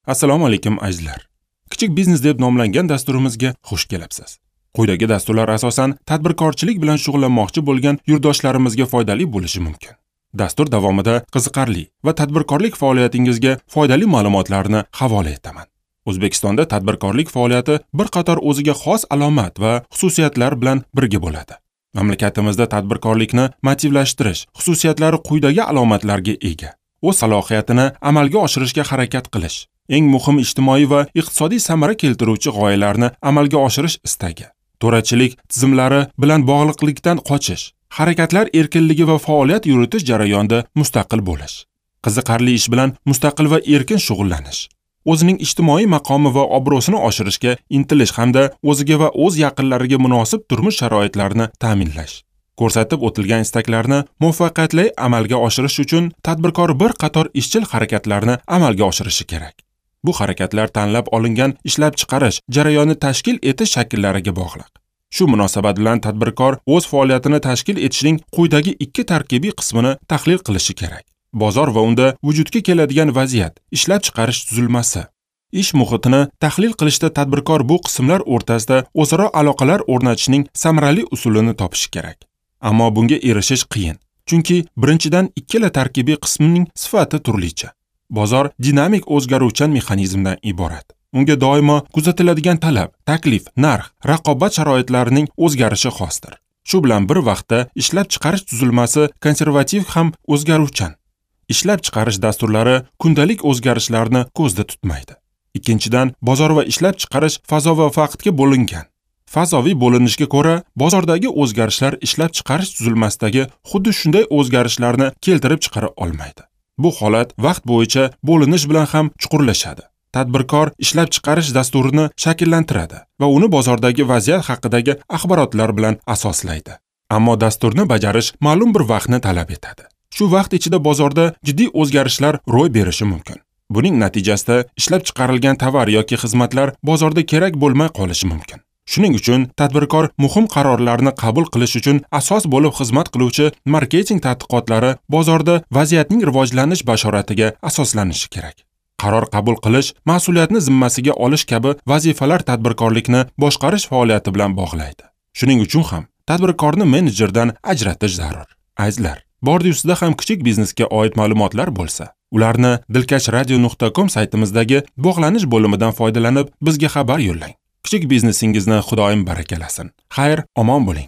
Assalomu alaykum azizlar. Kichik biznes deb nomlangan dasturimizga xush kelibsiz. Quyidagi dasturlar asosan tadbirkorchilik bilan shug'ullanmoqchi bo'lgan yurtdoshlarimizga foydali bo'lishi mumkin. Dastur davomida qiziqarli va tadbirkorlik faoliyatingizga foydali ma'lumotlarni havola etaman. O'zbekistonda tadbirkorlik faoliyati bir qator o'ziga xos alomat va xususiyatlar bilan birga bo'ladi. Mamlakatimizda tadbirkorlikni motivlashtirish xususiyatlari quyidagi alomatlarga ega. O'z salohiyatini amalga oshirishga harakat qilish, eng muhim ijtimoiy va iqtisodiy samara keltiruvchi g'oyalarni amalga oshirish istagi, to'rachilik tizimlari bilan bog'liqlikdan qochish, harakatlar erkinligi va faoliyat yuritish jarayonida mustaqil bo'lish, qiziqarli ish bilan mustaqil va erkin shug'ullanish, o'zining ijtimoiy maqomi va obro'sini oshirishga intilish hamda o'ziga va o'z yaqinlariga munosib turmush sharoitlarini ta'minlash. Ko'rsatib o'tilgan istaklarni muvaffaqiyatli amalga oshirish uchun tadbirkor bir qator ishchil harakatlarni amalga oshirishi kerak. Bu harakatlar tanlab olingan ishlab chiqarish jarayoni tashkil etish shakllariga bog'liq. Shu munosabat bilan tadbirkor o'z faoliyatini tashkil etishning quyidagi ikki tarkibiy qismini tahlil qilishi kerak. Bozor va unda vujudga keladigan vaziyat, ishlab chiqarish tuzilmasi. Ish muhitini tahlil qilishda tadbirkor bu qismlar o'rtasida o'zaro aloqalar o'rnatishning samarali usulini topishi kerak. Ammo bunga erishish qiyin, chunki birinchidan ikkala tarkibiy qismning sifati turlicha. Bozor dinamik o'zgaruvchan mexanizmdan iborat. Unga doimo kuzatiladigan talab, taklif, narx, raqobat sharoitlarining o'zgarishi xosdir. Shu bilan bir vaqtda ishlab chiqarish tuzilmasi konservativ ham o'zgaruvchan. Ishlab chiqarish dasturlari kundalik o'zgarishlarni ko'zda tutmaydi. Ikkinchidan, bozor va ishlab chiqarish fazo va vaqtga bo'lingan. Fazoviy bo'linishga ko'ra, bozordagi o'zgarishlar ishlab chiqarish tuzilmasidagi xuddi shunday o'zgarishlarni keltirib chiqara olmaydi. Bu holat vaqt bo'yicha bo'linish bilan ham chuqurlashadi. Tadbirkor ishlab chiqarish dasturini shakllantiradi va uni bozordagi vaziyat haqidagi axborotlar bilan asoslaydi. Ammo dasturni bajarish ma'lum bir vaqtni talab etadi. Shu vaqt ichida bozorda jiddiy o'zgarishlar ro'y berishi mumkin. Buning natijasida ishlab chiqarilgan tovar yoki xizmatlar bozorda kerak bo'lmay qolishi mumkin. Shuning uchun tadbirkor muhim qarorlarni qabul qilish uchun asos bo'lib xizmat qiluvchi marketing tadqiqotlari bozorda vaziyatning rivojlanish bashoratiga asoslanishi kerak. Qaror qabul qilish, mas'uliyatni zimmasiga olish kabi vazifalar tadbirkorlikni boshqarish faoliyati bilan bog'laydi. Shuning uchun ham tadbirkorni menejerdan ajratish zarur. Azizlar, bordi-ustida ham kichik biznesga oid ma'lumotlar bo'lsa, ularni dilkashradio.com saytimizdagi bog'lanish bo'limidan foydalanib bizga xabar yo'llang. Kichik biznesingizni Xudoyim barakalasin. Xayr, omon bo'ling.